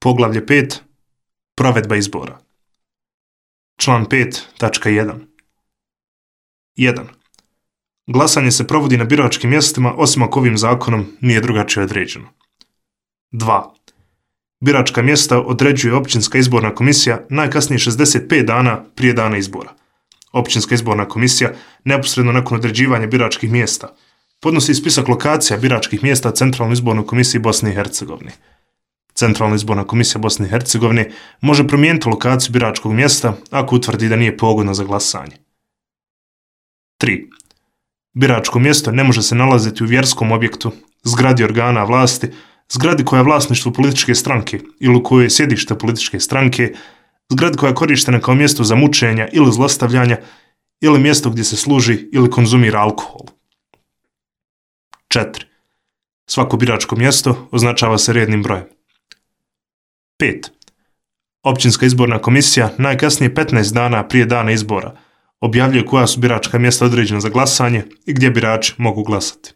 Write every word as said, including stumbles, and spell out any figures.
Poglavlje pet. Provedba izbora. Član pet tačka jedan. jedan. Glasanje se provodi na biračkim mjestima osim ako ovim zakonom nije drugačije određeno. dva. Biračka mjesta određuje općinska izborna komisija najkasnije šezdeset pet dana prije dana izbora. Općinska izborna komisija neposredno nakon određivanja biračkih mjesta podnosi spisak lokacija biračkih mjesta Centralnoj izbornoj komisiji Bosne i Hercegovine. Centralna izborna komisija Bosne i Hercegovine može promijeniti lokaciju biračkog mjesta ako utvrdi da nije pogodno za glasanje. tri. Biračko mjesto ne može se nalaziti u vjerskom objektu, zgradi organa vlasti, zgradi koja je vlasništvo političke stranke ili u kojoj je sjedište političke stranke, zgradi koja je korištena kao mjesto za mučenja ili zlostavljanja ili mjesto gdje se služi ili konzumira alkohol. četiri. Svako biračko mjesto označava se rednim brojem. pet. Općinska izborna komisija najkasnije petnaest dana prije dana izbora objavljuje koja su biračka mjesta određena za glasanje i gdje birači mogu glasati.